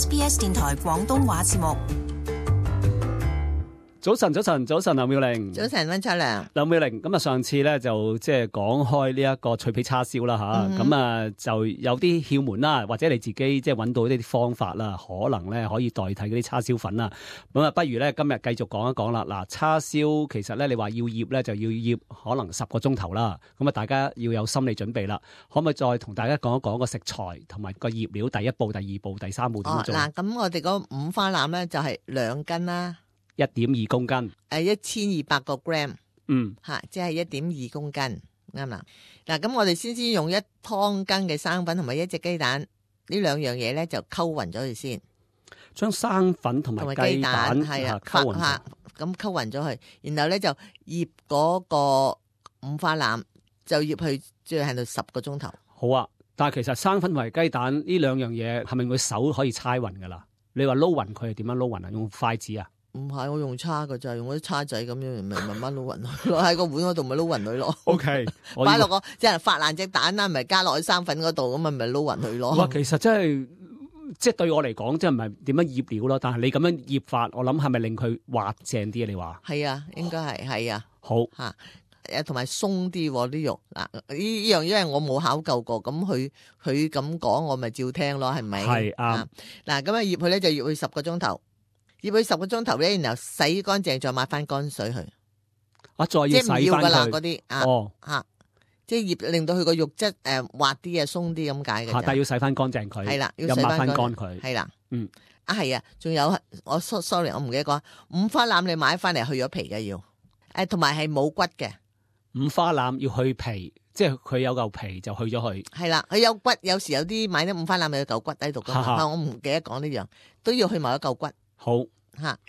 SBS 電台廣東話節目。早晨，劉妙玲。早晨，溫秋良。劉妙玲，咁啊，上次咧就即係講開呢一個脆皮叉燒啦吓，咁啊就有啲竅門啦，或者你自己即係揾到呢啲方法啦，可能咧可以代替嗰啲叉燒粉啦。咁啊，不如咧今日繼續講一講啦。嗱，叉燒其實咧你話要醃咧就要醃可能10個鐘頭啦。咁啊，大家要有心理準備啦。可唔可以再同大家講一講個食材同埋個醃料第一步、第二步、第三步點做？嗱，咁我哋嗰五花腩咧就係2斤啦。1.2公斤，1200個 gram， 即係1.2公斤，啱啦。嗱，咁我哋先用1湯羹嘅生粉同埋1隻雞蛋，呢兩樣嘢咧就溝勻咗佢先。將生粉同埋雞蛋係啊溝勻咗，咁溝勻咗佢，然後咧就醃嗰個五花腩，就醃去最喺度10個鐘頭。好啊，但係其實生粉同埋雞蛋呢兩樣嘢係咪佢手可以猜勻噶啦？你話撈勻佢係點樣撈勻啊？用筷子啊？唔係，我用叉噶咋，用嗰啲叉仔咁樣，咪慢慢撈勻佢咯。喺個碗嗰度咪撈勻佢咯。O K， 擺落個即係發爛隻蛋啦，咪加落去生粉嗰度，咁咪撈勻佢咯。哇，其實真係即係對我嚟講，即係唔係點樣醃料咯？但係你咁樣醃法，我諗係咪令佢滑正啲啊？你話係啊，應該係啊。好吓，同埋鬆啲啲肉嗱，呢樣因為我冇考究過，咁佢咁講，我咪照聽咯，係咪？係啱。嗱，咁啊醃佢咧就醃佢10個鐘頭。醃佢10個鐘頭咧，然後洗乾淨，再抹翻乾水去。再要洗翻佢。即係唔要噶啦嗰啲即係醃令到佢個肉質滑啲啊，鬆啲咁解嘅。但係要洗翻乾淨佢。係啦，要抹翻乾佢。係啦，係啊，仲有sorry， 我唔記得講，五花腩你買翻嚟去咗皮嘅要，同埋係冇骨嘅。五花腩要去皮，即係佢有嚿皮就去咗佢。係啦，佢有骨，有時有啲買啲五花腩有嚿骨喺度噶，我唔記得講呢樣，都要去埋一嚿骨。好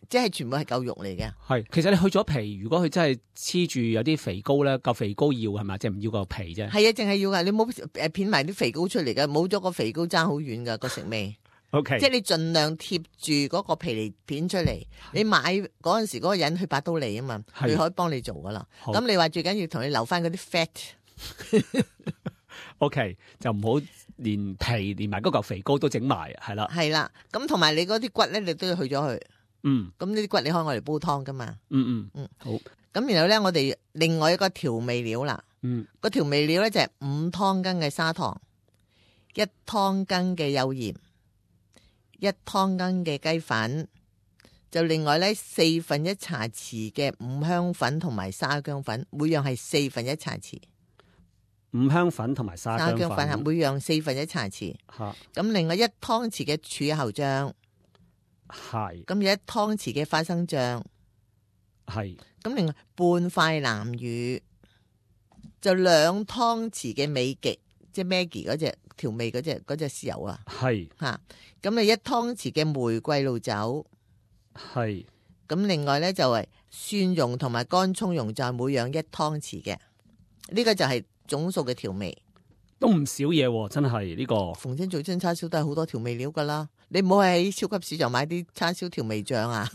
即係全部係嚿肉嚟嘅。係，其實你去咗皮，如果佢真係黐住有啲肥膏咧，嚿肥膏要係咪？即係唔要個皮啫。係啊，淨係要噶，你冇片埋啲肥膏出嚟嘅，冇咗個肥膏爭好遠噶個食味。OK， 即係你盡量貼住嗰個皮嚟片出嚟。你買嗰陣時嗰個人去8刀利啊嘛，佢可以幫你做噶啦。咁你話最緊要同你留翻嗰啲 fat。OK， 就唔好連皮連埋嗰嚿肥膏都整埋，係啦。係啦，咁同埋你嗰啲骨咧，你都要去咗佢。咁呢啲骨你可以攞嚟煲湯噶嘛。好。咁然後咧，我哋另外一個調味料啦。個調味料咧就係5湯羹嘅砂糖，1湯羹嘅幼鹽，1湯羹嘅雞粉，就另外咧1/4茶匙嘅五香粉同埋沙薑粉，每樣係1/4茶匙。五香粉同埋沙薑粉係每樣1/4茶匙。咁另外1湯匙嘅柱侯醬，係。咁有1湯匙嘅花生醬，係。咁另外半塊南乳，就2湯匙嘅美極，即係 Maggi 嗰隻調味嗰隻豉油啊。係。咁你1湯匙嘅玫瑰露酒，係。咁另外咧就係蒜蓉同埋乾葱蓉，就係每樣1湯匙嘅。呢個就係總數嘅調味，都唔少嘢，真係呢個。逢親做親叉燒都係好多調味料噶啦，你唔好喺超級市場買啲叉燒調味醬啊。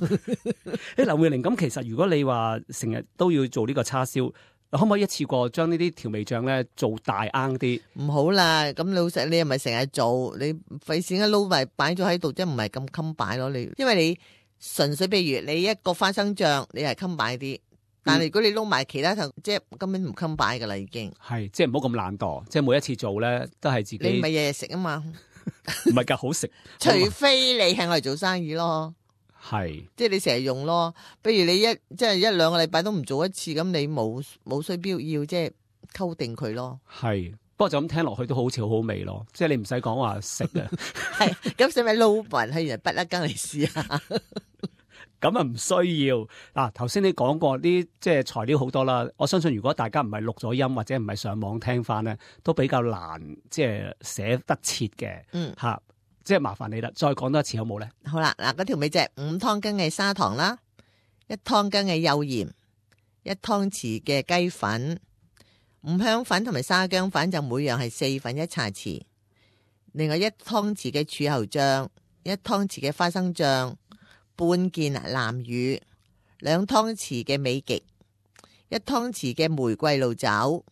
劉妙玲，咁其實如果你話成日都要做呢個叉燒，可唔可以一次過將呢啲調味醬咧做大罌啲？唔好啦，咁老實你又咪成日做，你費事一撈埋擺咗喺度，即係唔係咁襟擺咯。你因為你純粹譬如你一個花生醬，你係襟擺啲。但係如果你撈埋其他就即係根本唔襟擺噶啦，已經係即係唔好咁懶惰，即係每一次做咧都係自己。你咪日日食啊嘛，唔係噶好食，除非你係我嚟做生意咯，係即係你成日用咯。不如你即係1-2個禮拜都唔做一次，咁你冇需必要即係溝定佢咯。係，不過就咁聽落去都好似好好味咯，即係你唔使講話食啊。係咁，使咪撈勻係人不一羹嚟試下。咁啊唔需要嗱，頭先你講過啲即係材料好多啦，我相信如果大家唔係錄咗音或者唔係上網聽翻咧，都比較難即係寫得切嘅，即係麻煩你啦，再講多一次好冇咧？好啦，嗱，嗰條尾就係5湯羹嘅砂糖啦，1湯羹嘅幼鹽，1湯匙嘅雞粉，五香粉同埋沙薑粉就每樣係1/4茶匙，另外1湯匙嘅柱侯醬，1湯匙嘅花生醬，半件南乳，2湯匙嘅美極，1湯匙嘅玫瑰露酒，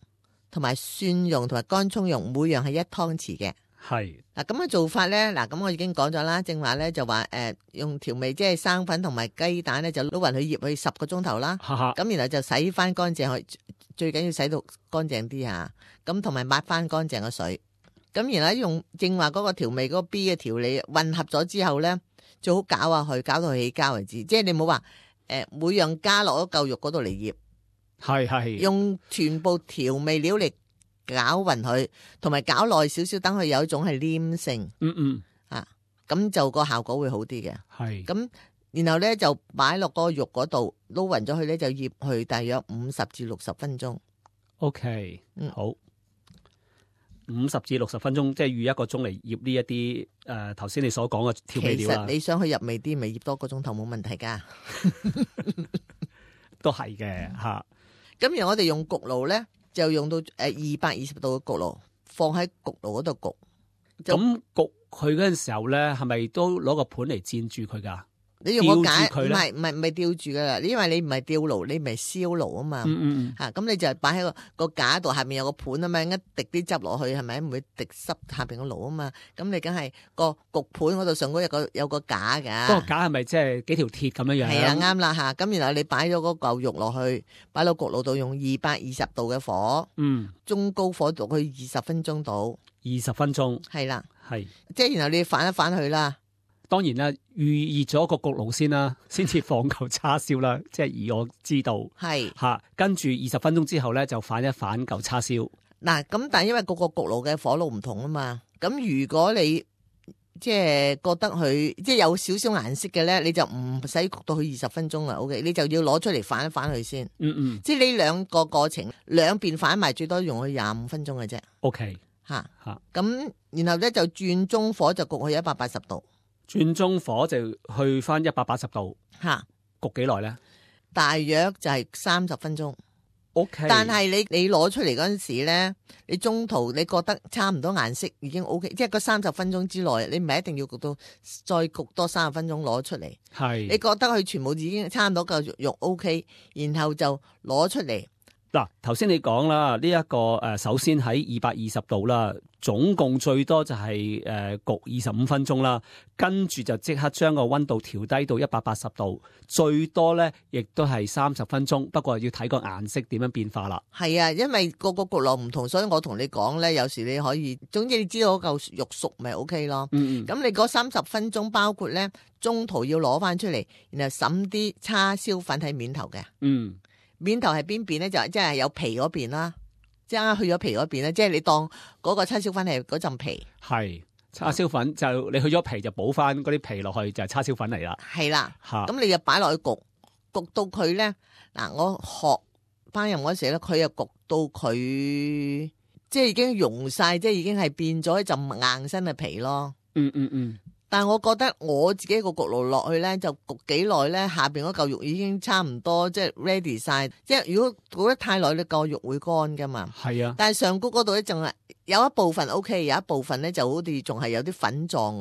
同埋蒜蓉同埋乾葱蓉，每樣係1湯匙嘅。係嗱，咁嘅做法咧，嗱，咁我已經講咗啦，正話咧就話用調味，即係生粉同埋雞蛋咧，就撈勻佢醃佢10個鐘頭啦。咁然後就洗翻乾淨佢，最緊要洗到乾淨啲嚇。咁同埋抹翻乾淨個水。咁然後用正話嗰個調味嗰個 B 嘅調理混合咗之後咧，最好攪下佢，攪到佢起膠為止。即係你冇話每樣加落嗰嚿肉嗰度嚟醃。係用全部調味料嚟攪勻佢，同埋攪耐少少，等佢有一種係黏性。咁就個效果會好啲嘅。係咁，然後咧就擺落個肉嗰度撈勻咗佢咧，就醃去大約50至60分鐘。OK，好，50至60分鐘，即係預1個鐘嚟醃呢一啲頭先你所講嘅調味料啦。其實你想去入味啲，咪醃多個鐘頭冇問題噶。都係嘅嚇。咁然後我哋用焗爐咧，就用到220度嘅焗爐，放喺焗爐嗰度焗。咁焗佢嗰陣時候咧，係咪都攞個盤嚟墊住佢噶？你用個架，唔係吊住噶啦，因為你唔係吊爐，你唔係燒爐啊嘛。咁你就擺喺個架度，下面有個盤啊嘛，一滴啲汁落去，係咪唔會滴濕下邊個爐啊嘛？咁你梗係個焗盤嗰度上高有個架噶。嗰個架係咪即係幾條鐵咁樣樣？係啊，啱啦嚇。咁然後你擺咗嗰嚿肉落去，擺到焗爐度，用220度嘅火，中高火度去20分鐘到。20分鐘。係啦，係。即係然後你反一反佢啦。當然啦，預熱咗個焗爐先啦，先至放嚿叉燒啦。即係以我知道，係嚇，跟住20分鐘之後咧，就反一反嚿叉燒。嗱，咁但係因為個焗爐嘅火爐唔同啊嘛，咁如果你即係覺得佢即係有少少顏色嘅咧，你就唔使焗到佢20分鐘啦。OK， 你就要攞出嚟反一反佢先。即係呢兩個過程兩邊反埋，最多用佢25分鐘嘅啫。OK，咁然後咧就轉中火就焗佢180度。轉中火就去翻180度，焗幾耐咧？大約就係30分鐘。OK，但係你攞出嚟嗰陣時咧，你中途你覺得差唔多顏色已經 OK，即係個30分鐘之內，你唔係一定要焗到再焗多30分鐘攞出嚟。係你覺得佢全部已經差唔多嚿肉 OK，然後就攞出嚟。嗱，頭先你講啦，呢一個首先喺220度啦，總共最多就係焗25分鐘啦，跟住就即刻將個溫度調低到180度，最多咧亦都係30分鐘，不過要睇個顏色點樣變化啦。係啊，因為個焗爐唔同，所以我同你講咧，有時你可以，總之你知道嗰嚿肉熟咪 OK 咯。咁你嗰30分鐘包括咧，中途要攞翻出嚟，然後揼啲叉燒粉喺面頭嘅。面頭係邊邊咧？就即係有皮嗰邊啦，即係去咗皮嗰邊咧，即係你當嗰個叉燒粉係嗰陣皮。係叉燒粉就你去咗皮就補翻嗰啲皮落去就係叉燒粉嚟啦。係啦，咁你就擺落去焗到佢咧。嗱，我學烹飪嗰時咧，佢又焗到佢即係已經溶晒，即係已經係變咗一陣硬身嘅皮咯。但係我覺得我自己個焗爐落去咧，就焗幾耐咧，下邊嗰嚿肉已經差唔多即係 ready 晒。即係如果焗得太耐，你個肉會乾噶嘛。係啊。但係上高嗰度咧，仲係有一部分 OK， 有一部分咧就好似仲係有啲粉狀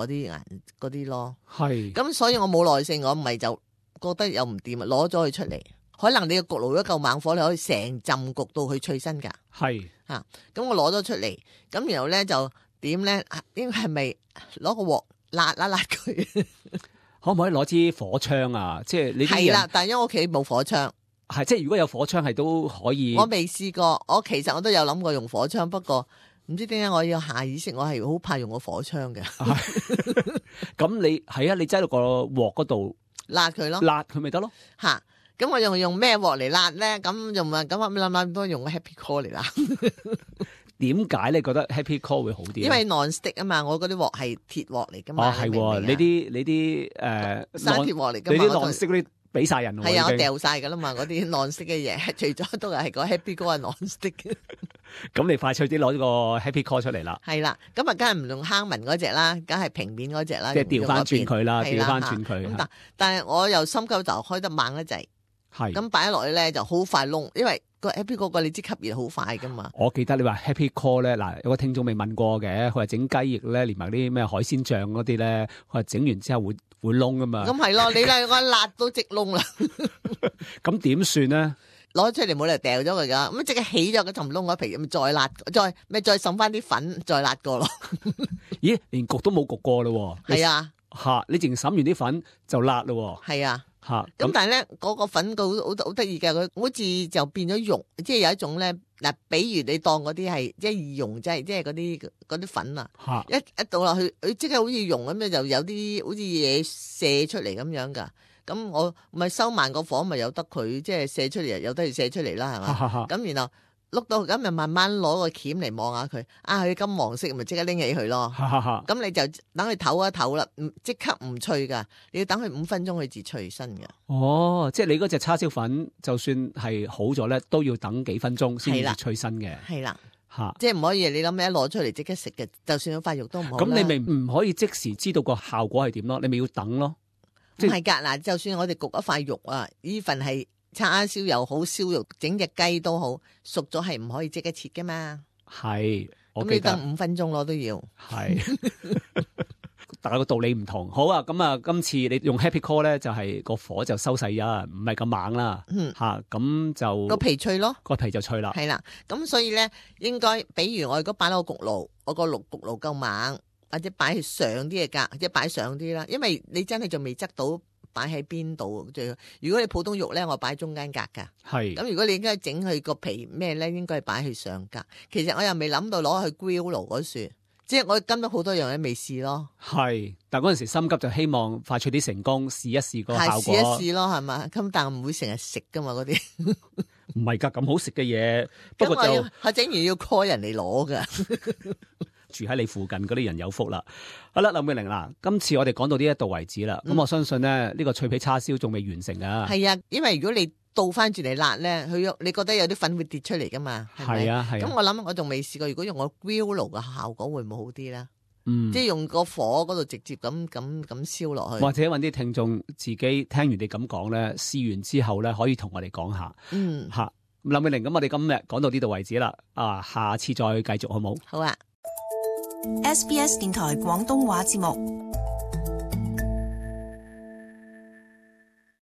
嗰啲咯。係。咁所以我冇耐性，我唔係就覺得又唔掂啊，攞咗佢出嚟。可能你個焗爐如果夠猛火，你可以成浸焗到佢脆身噶。係。咁我攞咗出嚟，咁然後咧就點咧？應該係咪攞個鑊？辣佢，可唔可以攞支火槍啊？即係你係啦，但係因為我屋企冇火槍，係即係如果有火槍係都可以。我未試過，其實我都有諗過用火槍，不過唔知點解我要下意識，我係好怕用個火槍嘅。咁你係啊？你擠到個鑊嗰度辣佢咯，辣佢咪得咯？咁我用咩鑊嚟辣咧？咁用咁諗都用個 Happy Core 嚟辣。點解你覺得 Happy Core 會好啲？因為 non-stick 啊嘛，我嗰啲鑊係鐵鑊嚟噶嘛。係喎，你啲生鐵鑊嚟噶嘛，你啲 non-stick 嗰啲俾晒人喎。係啊，我掉晒噶啦嘛，嗰啲 non-stick 嘅嘢，除咗都係個 Happy Core 係 non-stick。咁你快脆啲攞個 Happy Core 出嚟啦。係啦，咁啊，梗係唔用坑紋嗰隻啦，梗係平面嗰隻啦。即係調翻轉佢啦，調翻轉佢。但係我又心急就開得猛一滯。係。咁擺咗落去咧就好快燶，因為個 Happy Core 你知吸熱好快噶嘛。我記得你話 Happy Core 咧，嗱，有個聽眾未問過嘅，佢話整雞翼咧，連埋啲咩海鮮醬嗰啲咧，佢話整完之後會燶噶嘛。咁係咯，你兩個辣到直燶啦。咁點算咧？攞出嚟冇理由掉咗佢噶，咁即刻起咗個氹窿嗰皮，咁再辣，再滲翻啲粉，再辣過咯。咦，連焗都冇焗過咯？係啊，吓，你淨滲完啲粉就辣咯？係啊。吓，咁但係咧，嗰個粉好得意嘅，佢好似就變咗溶，即係有一種咧嗱，比如你當嗰啲係即係易溶劑，即係嗰啲粉啊，一倒落去，佢即刻好似溶咁樣，就有啲好似嘢射出嚟咁樣噶。咁我咪收慢個火，咪由得佢即係射出嚟，由得佢射出嚟啦，係嘛？咁然後碌到咁，咪慢慢攞個鉗嚟望下佢，佢金黃色，咪即刻拎起佢咯。咁你就等佢唞一唞啦，即刻唔脆噶，你要等佢5分鐘佢至脆身嘅。哦，即係你嗰隻叉燒粉，就算係好咗咧，都要等幾分鐘先至脆身嘅。係啦，吓，即係唔可以你諗咩一攞出嚟即刻食嘅，就算塊肉都唔好。咁你咪唔可以即時知道個效果係點咯？你咪要等咯。唔係噶，嗱，就算我哋焗一塊肉啊，呢份係叉燒又好，燒肉整隻雞都好，熟咗係唔可以即刻切噶嘛。係，咁你等5分鐘咯都要。係，大家個道理唔同。好啊，咁啊，今次你用 Happy Core 咧，就係個火就收細啊，唔係咁猛啦。吓，咁就個皮脆咯，個皮就脆啦。係啦，咁所以咧，應該比如我如果擺落個焗爐，我個焗爐夠猛。或者擺上啲嘅格，即係擺上啲啦，因為你真係仲未執到擺喺邊度最好。如果你普通肉咧，我擺中間格噶。係。咁如果你應該整佢個皮咩咧，應該係擺去上格。其實我又未諗到攞去 grill 爐嗰處，即係我跟咗好多樣嘢未試咯。係，但係嗰陣時心急就希望快脆啲成功，試一試個效果。試一試咯，係嘛？咁但係唔會成日食噶嘛嗰啲。唔係㗎，咁好食嘅嘢。不過就我整完要 call 人嚟攞㗎。住喺你附近嗰啲人有福啦。好啦，林永玲嗱，今次我哋講到呢一度為止啦。咁我相信咧，呢個脆皮叉燒仲未完成噶。係啊，因為如果你倒翻轉嚟辣咧，你覺得有啲粉會跌出嚟噶嘛？係啊，係。咁我諗我仲未試過，如果用個 grill 爐嘅效果會唔會好啲咧？即係用個火嗰度直接咁燒落去。或者搵啲聽眾自己聽完你咁講咧，試完之後咧，可以同我哋講下。吓，林永玲，咁我哋今日講到呢度為止啦。下次再繼續好冇？好啊。SBS 電台廣東話節目。